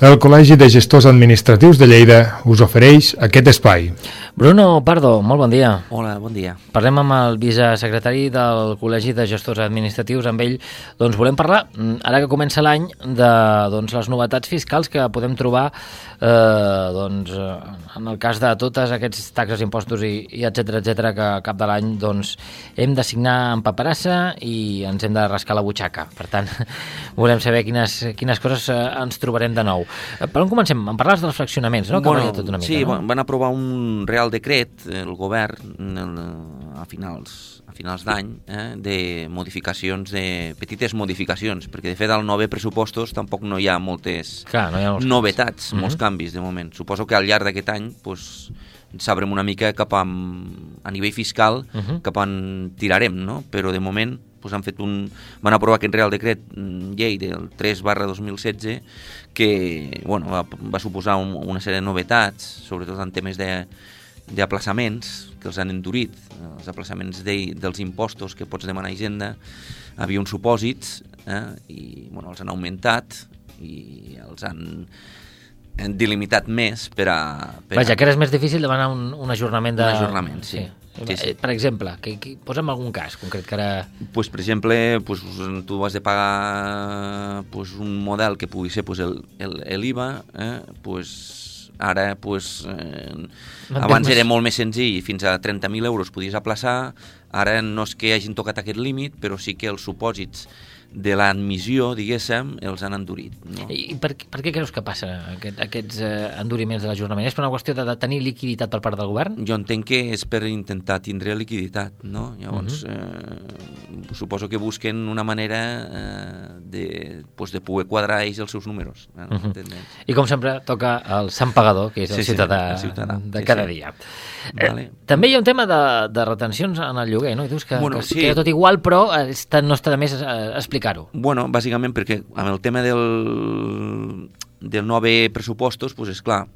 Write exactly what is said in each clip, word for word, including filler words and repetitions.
El Col·legi de Gestors Administratius de Lleida us ofereix aquest espai. Bruno Pardo, molt bon dia. Hola, bon dia. Parlem amb el vicesecretari del Col·legi de Gestors Administratius. Amb ell doncs, volem parlar, ara que comença l'any, de doncs, les novetats fiscals que podem trobar eh, doncs, en el cas de totes aquests taxes, impostos i, i etcètera, etcètera, que a cap de l'any doncs, hem de signar en paperassa i ens hem de rascar la butxaca. Per tant, volem saber quines, quines coses eh, ens trobarem de nou. Per on comencem? En parlaves dels fraccionaments, no? Que Bueno, tot una mica, sí, no? van aprovar un Real Decret, el govern, a finals, a finals d'any, eh, de modificacions, de petites modificacions, perquè de fet al nou pressupostos tampoc no hi ha moltes Clar, no hi ha molts novetats, canvis. molts Mhm. canvis de moment. Suposo que al llarg d'aquest any pues, sabrem una mica cap a, a nivell fiscal Mhm. cap a on tirarem, no? Però de moment pues, han fet un, van aprovar aquest Real Decret llei del tres barra dos mil setze que bueno, va, va suposar un, una sèrie de novetats, sobretot en temes de d'aplaçaments que els han endurit, els aplaçaments de, dels impostos que pots demanar a Hisenda, havia uns supòsits eh, i bueno, els han augmentat i els han delimitat més per a... Per Vaja, a... que ara és més difícil demanar un, un ajornament de... Un ajornament, sí. Sí, sí. Per exemple, que, que, posa'm algun cas concret que ara... Pues, per exemple, pues, tu has de pagar pues, un model que pugui ser pues, el, el, l'I V A, eh? pues, ara pues, eh, abans més... era molt més senzill, fins a trenta mil euros podies aplaçar, ara no és que hagin tocat aquest límit, però sí que els supòsits de l'admissió, diguéssim, els han endurit. No? I per, per què creus que passa aquest, aquests eh, enduriments de l'ajornament? És per una qüestió de, de tenir liquiditat per part del govern? Jo entenc que és per intentar tindre liquiditat, no? Llavors, uh -huh. eh, suposo que busquen una manera eh, de, pues, de poder quadrar ells els seus números. Eh, uh -huh. I com sempre toca el Sant Pagador, que és el sí, ciutadà, sí, el ciutadà de sí, cada sí. dia. Vale. Eh, també hi ha un tema de, de retencions en el lloguer, no? I dius que, bueno, que sí. queda tot igual, però està, no està de més eh, explicar-ho. Bueno, bàsicament perquè amb el tema del, del nou pressupostos, pues és clar,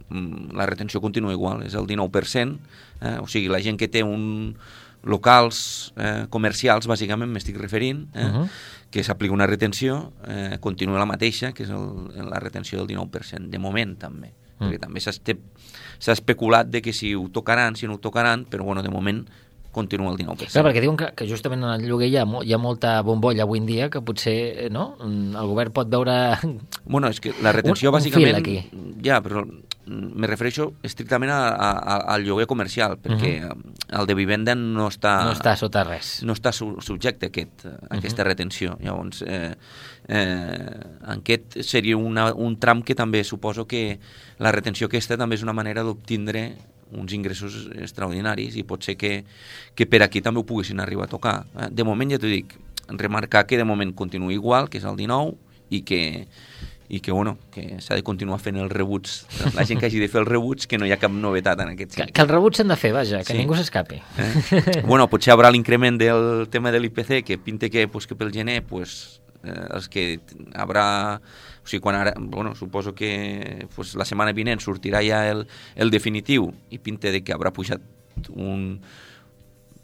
la retenció continua igual, és el dinou per cent, eh? O sigui, la gent que té un locals eh, comercials, bàsicament m'estic referint, eh? uh-huh. que s'aplica una retenció, eh, continua la mateixa, que és el, la retenció del dinou per cent, de moment també, uh-huh. perquè també s'ha especulat de que si ho tocaran, si no ho tocaran, però bueno, de moment continua el dinou per cent. Clar, perquè diuen que, que justament en el lloguer hi ha, hi ha molta bombolla avui en dia que potser no? El govern pot veure... Bueno, és que la retenció un, un bàsicament... aquí. Ja, però me refereixo estrictament a, a, al lloguer comercial, perquè uh-huh. el de vivenda no està... No està sota res. No està su, subjecte a, aquest, a aquesta uh-huh. retenció. Llavors, eh, eh, aquest seria una, un tram que també suposo que la retenció aquesta també és una manera d'obtindre uns ingressos extraordinaris i pot ser que, que per aquí també ho poguessin arribar a tocar. De moment, ja t'ho dic, remarcar que de moment continua igual, que és el dinou, i que, i que, bueno, que s'ha de continuar fent els rebuts. La gent que hagi de fer els rebuts, que no hi ha cap novetat en aquest sentit. Que, que els rebuts s'han de fer, vaja, que sí. ningú s'escapi. Eh? Bueno, potser haurà l'increment del tema de l'I P C, que pinta que, pues, que pel gener, pues, eh, els que haurà... O sigui, quan ara, bueno, suposo que pues, la setmana vinent sortirà ja el, el definitiu i pinta de que haurà pujat un...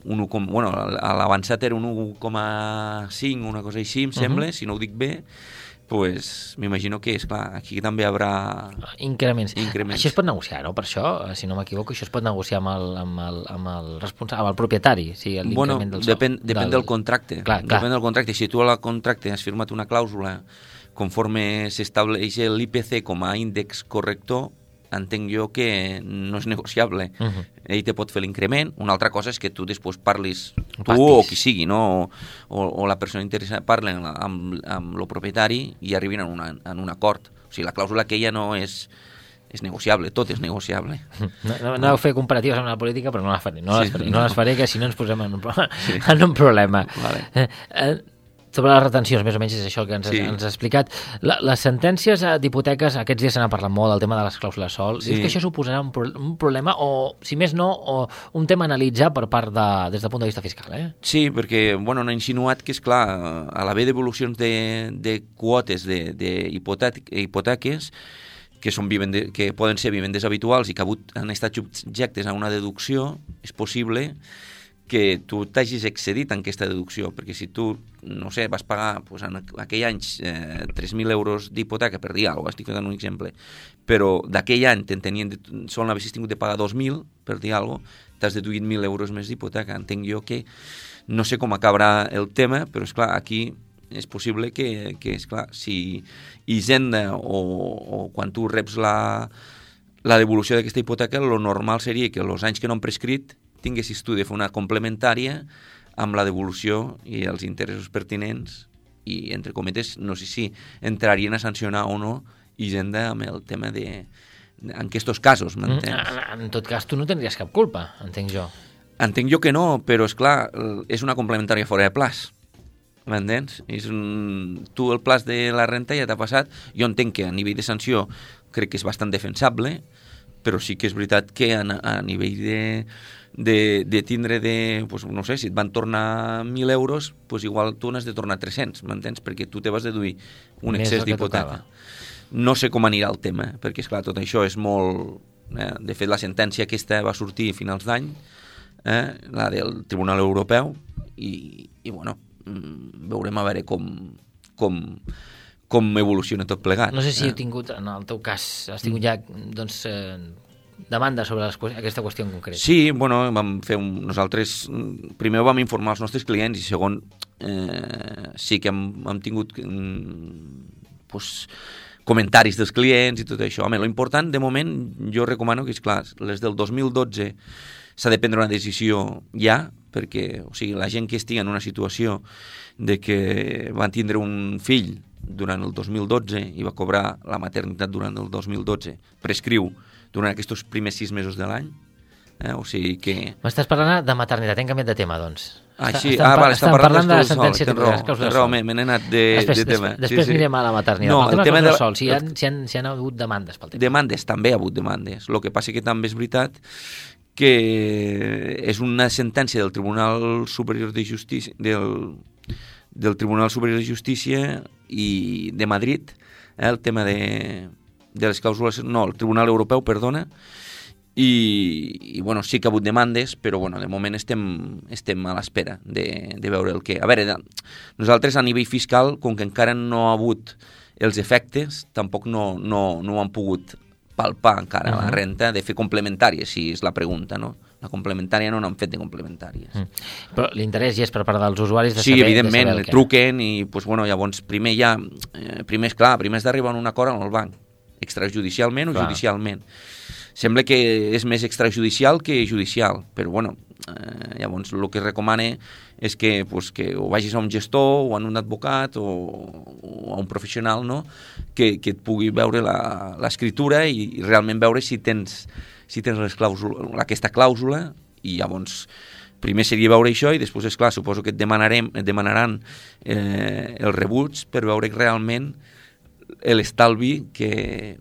un bueno, l'avançat era un un coma cinc, una cosa així, em sembla, uh-huh. si no ho dic bé, pues m'imagino que, és clar, aquí també hi haurà... Increments. Increments. Això es pot negociar, no? Per això, si no m'equivoco, això es pot negociar amb el, amb el, amb el responsable, amb el propietari, sí, bueno, del sou. depèn, depèn del, del contracte. Clar, clar. Depèn del contracte. Si tu al contracte has firmat una clàusula conforme s'estableix l'I P C com a índex corrector, entenc jo que no és negociable. Uh-huh. Ell te pot fer l'increment. Una altra cosa és que tu després parlis, tu Patis. o qui sigui, no? o, o la persona interessada parlen amb, amb el propietari i arribin en, una, en un acord. O sigui, la clàusula aquella no és... és negociable, tot és negociable. No, no, no heu fet comparatives amb la política, però no les faré, no les faré, sí, no. no les faré que si no ens posem en un, pro... sí. en un problema. Vale. Eh, eh, sobre les retencions, més o menys és això que ens, sí. ens has explicat. La, les sentències d'hipoteques, aquests dies se n'ha parlat molt, el tema de les clàusules sol. Sí. Dius que això suposarà un, pro un problema o, si més no, o un tema a analitzar per part de, des del punt de vista fiscal, eh? Sí, perquè, bueno, han insinuat que, és clar, a l'haver devolucions de, de quotes d'hipoteques, que, són vivende, que poden ser vivendes habituals i que han estat subjectes a una deducció, és possible que tu t'hagis excedit en aquesta deducció, perquè si tu, no sé, vas pagar pues, en aquell any eh, tres mil euros d'hipoteca, per dir alguna cosa, estic fent un exemple, però d'aquell any te'n tenien, sol haver tingut de pagar dos mil, per dir alguna cosa, t'has deduït mil euros més d'hipoteca. Entenc jo que no sé com acabarà el tema, però és clar, aquí és possible que, que és clar, si Hisenda o, o quan tu reps la, la devolució d'aquesta hipoteca, lo normal seria que els anys que no han prescrit tinguessis tu de fer una complementària amb la devolució i els interessos pertinents i, entre cometes, no sé si entrarien a sancionar o no Hisenda amb el tema de... en aquests casos, m'entens? En, en tot cas, tu no tindries cap culpa, entenc jo. Entenc jo que no, però, és clar, és una complementària fora de plaç. M'entens? És un... Tu el plaç de la renta ja t'ha passat. Jo entenc que a nivell de sanció crec que és bastant defensable, però sí que és veritat que a, a nivell de, de, de tindre de... Pues, no sé, si et van tornar mil euros, pues igual tu n'has de tornar tres-cents, m'entens? Perquè tu te vas deduir un Més excés d'hipoteca. No sé com anirà el tema, perquè, esclar, tot això és molt... Eh? De fet, la sentència aquesta va sortir a finals d'any, eh? La del Tribunal Europeu, i, i bueno, veurem a veure com, com, com evoluciona tot plegat. No sé si eh? heu tingut, en el teu cas, has tingut ja doncs, eh, demanda sobre les, aquesta qüestió en concret. Sí, bueno, vam fer un, nosaltres primer vam informar els nostres clients i segon eh, sí que hem, hem tingut mm, pues, comentaris dels clients i tot això. Home, l'important, de moment, jo recomano que, és clar, les del dos mil dotze s'ha de prendre una decisió ja, perquè, o sigui, la gent que estigui en una situació de que van tindre un fill durant el dos mil dotze i va cobrar la maternitat durant el dos mil dotze, prescriu durant aquests primers sis mesos de l'any, eh? O sigui que... M'estàs parlant de maternitat, hem canviat de tema, doncs. Ah, sí, estem, ah, vale, està parlant, parlant de la sol, sentència tens raó, me n'he anat de, després, de tema. Després, després sí, sí. anirem a la maternitat. No, el tema el tema de... de... sol, si hi, ha, si, han, si han hagut demandes pel tema. Demandes, també ha hagut demandes. El que passa que també és veritat que és una sentència del Tribunal Superior de Justícia del, del Tribunal Superior de Justícia i de Madrid, eh, el tema de, de les clàusules, no, el Tribunal Europeu, perdona, i, i bueno, sí que ha hagut demandes, però bueno, de moment estem, estem a l'espera de, de veure el que... A veure, nosaltres a nivell fiscal, com que encara no ha hagut els efectes, tampoc no, no, no ho han pogut palpar encara, uh-huh. La renta, de fer complementàries, si és la pregunta, no? La complementària no n'han fet de complementàries. Mm. Però l'interès ja és per part dels usuaris de sí, saber... Sí, evidentment, de saber que... truquen i, pues, bueno, llavors, primer ja... Eh, primer, esclar, primer has d'arribar a un acord amb el banc, extrajudicialment o clar. Judicialment. Sembla que és més extrajudicial que judicial, però, bueno, eh, llavors el que recomane és que, pues, que o vagis a un gestor o a un advocat o, o a un professional, no?, que, que et pugui veure l'escriptura i, i realment veure si tens, si tens les clàusula, aquesta clàusula, i llavors primer seria veure això i després, és clar, suposo que et, demanarem, et demanaran eh, els rebuts per veure realment l'estalvi que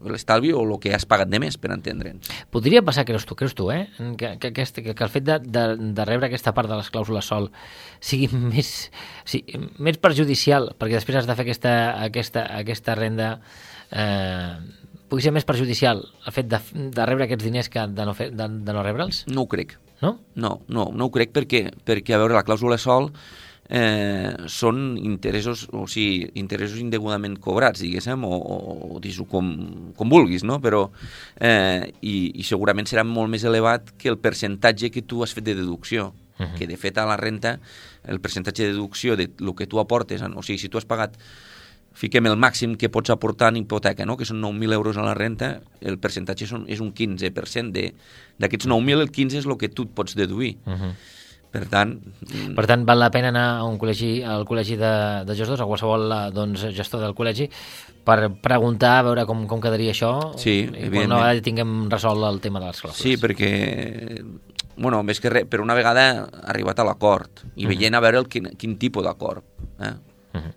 l'estalvi o el que has pagat de més, per entendre'ns. Podria passar, creus tu, creus tu eh? que, que, aquest, que, que el fet de, de, de rebre aquesta part de les clàusules sol sigui més, sí, més perjudicial, perquè després has de fer aquesta, aquesta, aquesta renda, eh, pugui ser més perjudicial el fet de, de rebre aquests diners que de no, fer, de, de no rebre'ls? No ho crec. No? No, no, no ho crec perquè, perquè a veure, la clàusula sol Eh, són interessos, o sigui, interessos indegudament cobrats, diguéssim, o, o dis-ho com, com vulguis, no? Però, eh, i, i segurament serà molt més elevat que el percentatge que tu has fet de deducció, uh-huh. Que de fet a la renta el percentatge de deducció de lo que tu aportes, o sigui, si tu has pagat, fiquem el màxim que pots aportar en hipoteca, no? Que són nou mil euros a la renta, el percentatge són, és un quinze per cent de, d'aquests nou mil, el quinze és el que tu et pots deduir. Uh-huh. Per tant... Per tant, val la pena anar a un col·legi, al col·legi de, de gestors, a qualsevol doncs, gestor del col·legi, per preguntar, a veure com, com quedaria això, sí, i quan una vegada tinguem resolt el tema de les clàusules. Sí, perquè, bueno, més que res, per una vegada ha arribat a l'acord, i uh-huh. veient a veure el, quin, quin tipus d'acord, eh? Uh-huh.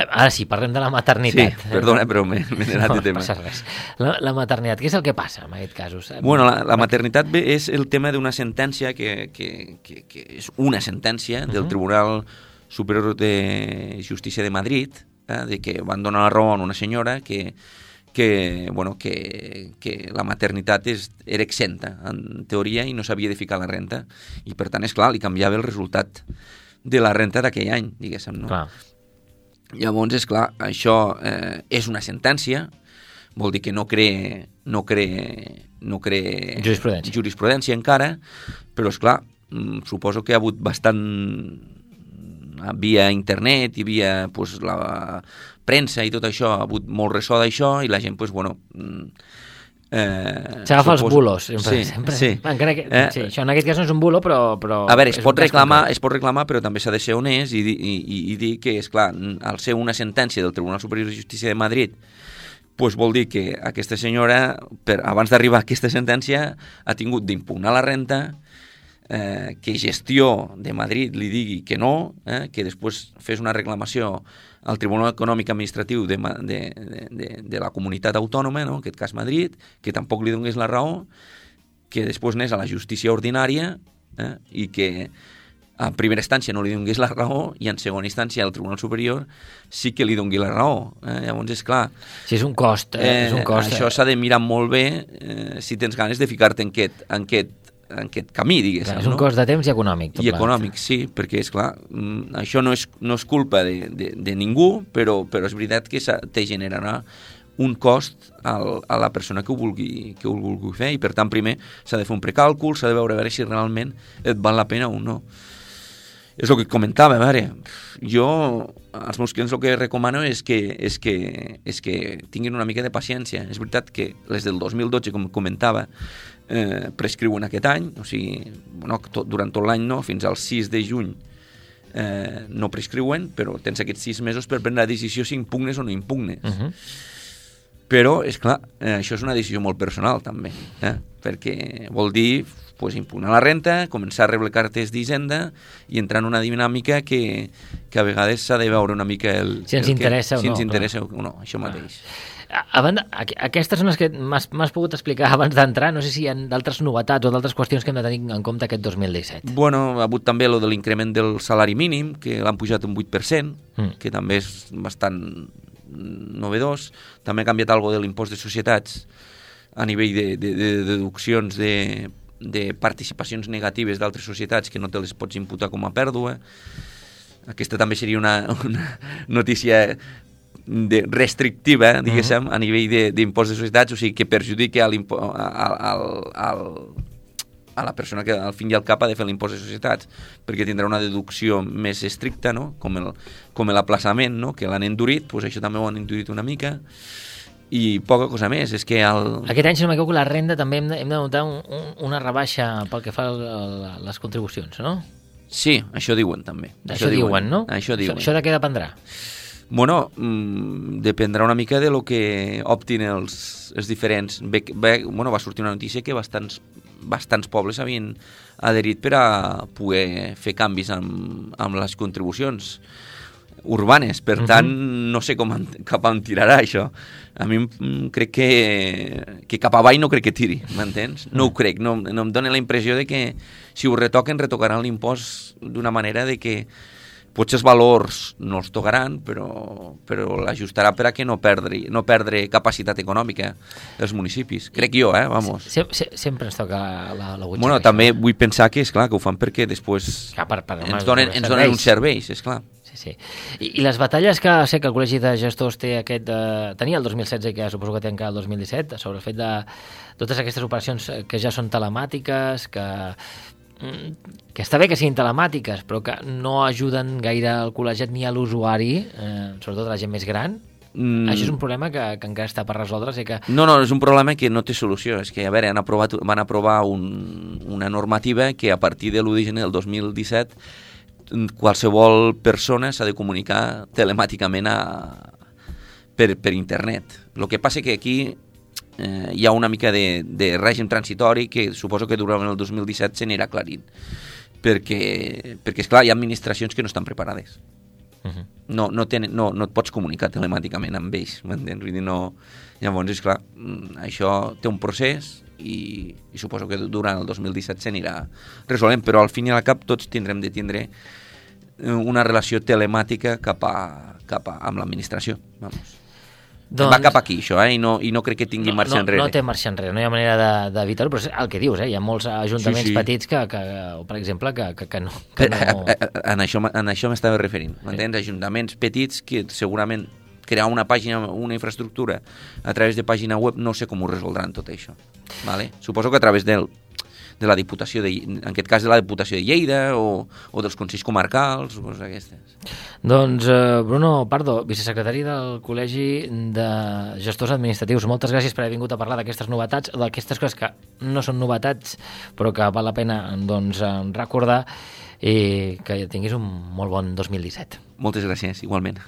Ara sí, parlem de la maternitat. Sí, perdona, però m'he anat no, de tema. No passa res. La, la maternitat, què és el que passa en aquests casos? Bueno, la, la maternitat bé és el tema d'una sentència que, que, que, que és una sentència uh-huh. del Tribunal Superior de Justícia de Madrid, eh, de que van donar la raó a una senyora que, que, bueno, que, que la maternitat és, era exenta, en teoria, i no s'havia de ficar la renta. I, per tant, és clar, li canviava el resultat de la renta d'aquell any, diguéssim, no? Clar. Llavors, és clar, això eh, és una sentència, vol dir que no crea, no crea, no crea jurisprudència. jurisprudència encara, però, és clar, suposo que ha hagut bastant via internet i via pues, la premsa i tot això, ha hagut molt ressò d'això i la gent, pues, bueno... Eh, s'agafa suposo... els bulos, sempre. Sí, sempre. sí. Encara que, eh, sí, això en aquest cas no és un bulo, però... però a veure, es pot, reclamar, concret. es pot reclamar, però també s'ha de ser honest i, i, i, i dir que, és clar, al ser una sentència del Tribunal Superior de Justícia de Madrid, pues vol dir que aquesta senyora, per, abans d'arribar a aquesta sentència, ha tingut d'impugnar la renta, eh, que Gestió de Madrid li digui que no, eh, que després fes una reclamació al Tribunal Econòmic Administratiu de, de, de, de la comunitat autònoma, no? En aquest cas Madrid, que tampoc li donés la raó, que després anés a la justícia ordinària eh, i que en primera instància no li donés la raó i en segona instància al Tribunal Superior sí que li dongui la raó. Eh? Llavors, és clar... Sí, és un cost. Eh, eh, és un cost això eh. s'ha de mirar molt bé eh, si tens ganes de ficar-te en aquest, en aquest en aquest camí, diguéssim. És un no? cost de temps i econòmic. I econòmic, sí, perquè, és clar, això no és, no és culpa de, de, de ningú, però, però és veritat que te generarà un cost al, a la persona que ho, vulgui, que ho vulgui fer, i per tant, primer s'ha de fer un precàlcul, s'ha de veure a veure si realment et val la pena o no. És el que comentava, a veure, jo als meus clients el que recomano és que, és que, és que tinguin una mica de paciència. És veritat que les del dos mil dotze, com comentava, eh, prescriuen aquest any, o sigui, bueno, tot, durant tot l'any no, fins al sis de juny eh, no prescriuen, però tens aquests sis mesos per prendre la decisió si impugnes o no impugnes. Uh -huh. Però, és clar, eh, això és una decisió molt personal, també, eh? Perquè vol dir pues, impugnar la renta, començar a rebre cartes d'Hisenda i entrar en una dinàmica que, que a vegades s'ha de veure una mica el... Si ens el interessa que, o si no. Si ens interessa clar. o no, això mateix. A, a banda, aquestes són les que m'has pogut explicar abans d'entrar, no sé si hi ha d'altres novetats o d'altres qüestions que hem de tenir en compte aquest dos mil disset. Bueno, ha hagut també lo de l'increment del salari mínim, que l'han pujat un vuit per cent, mm. que també és bastant novedós. També ha canviat alguna cosa de l'impost de societats a nivell de, de, de deduccions de, de participacions negatives d'altres societats que no te les pots imputar com a pèrdua. Aquesta també seria una, una notícia de restrictiva, diguéssim, uh-huh. a nivell d'impost de, de societats, o sigui, que perjudica al, al, al, a la persona que al fin i al cap ha de fer l'impost de societats, perquè tindrà una deducció més estricta, no? com el, com l'aplaçament, no? Que l'han endurit, doncs això també ho han endurit una mica, i poca cosa més, és que... El... Aquest any, si no m'equivoco, la renda també hem de, hem de notar un, un, una rebaixa pel que fa a les contribucions, no? Sí, això diuen també. Això, això diuen, diuen, no? Això diuen. Això, això de què dependrà? Bueno, mmm, dependrà una mica de lo que optin els, els diferents... Bé, bé, bueno, va sortir una notícia que bastants, bastants pobles havien adherit per a poder fer canvis amb, amb les contribucions urbanes. Per uh-huh. tant, no sé com, cap on tirarà això. A mi crec que, que cap avall no crec que tiri, m'entens? No ho crec, no, no em dóna la impressió de que si ho retoquen, retocaran l'impost d'una manera de que potser els valors no els tocaran, però, però l'ajustarà per a que no perdre, no perdre capacitat econòmica dels municipis. Crec jo, eh? Vamos. Se, se, sempre ens toca la, la butxaca. Bueno, també vull pensar que, és clar, que ho fan perquè després ja, per, per, ens, donen, ens donen uns serveis, és clar. Sí, sí. I, I les batalles que sé que el Col·legi de Gestors té aquest, eh, tenia el dos mil setze i que suposo que té encara el dos mil disset, sobre el fet de totes aquestes operacions que ja són telemàtiques, que que està bé que siguin telemàtiques, però que no ajuden gaire al col·legiat ni a l'usuari, eh, sobretot a la gent més gran. Mm. Això és un problema que, que encara està per resoldre. Que... No, no, és un problema que no té solució. És que, a veure, han aprovat, van aprovar un, una normativa que a partir de l'u de gener del dos mil disset qualsevol persona s'ha de comunicar telemàticament a, per, per internet. El que passa que aquí eh, hi ha una mica de, de règim transitori que suposo que durant el dos mil disset s'anirà aclarint. Perquè, perquè, esclar, hi ha administracions que no estan preparades. Uh-huh. No, no, tenen, no, no et pots comunicar telemàticament amb ells, m'entens? Vull dir, no... Llavors, esclar, això té un procés i, i suposo que durant el dos mil disset s'anirà resolent, però al fin i al cap tots tindrem de tindre una relació telemàtica cap a, cap a amb l'administració. Vamos. Doncs... Va cap aquí, això, eh? I no, i no crec que tingui no, marxa no, enrere. No té marxa enrere, no hi ha manera d'evitar-ho, però és el que dius, eh? Hi ha molts ajuntaments sí, sí. petits que, que, per exemple, que, que, que no... Que no... En això, en això m'estava referint, m'entens? Sí. Ajuntaments petits que segurament crear una pàgina, una infraestructura a través de pàgina web, no sé com ho resoldran tot això. Vale? Suposo que a través del, de la Diputació, de, en aquest cas de la Diputació de Lleida o, o dels Consells Comarcals, o coses aquestes. Doncs eh, Bruno Pardo, vicesecretari del Col·legi de Gestors Administratius, moltes gràcies per haver vingut a parlar d'aquestes novetats, d'aquestes coses que no són novetats, però que val la pena doncs, recordar, i que tinguis un molt bon dos mil disset. Moltes gràcies, igualment.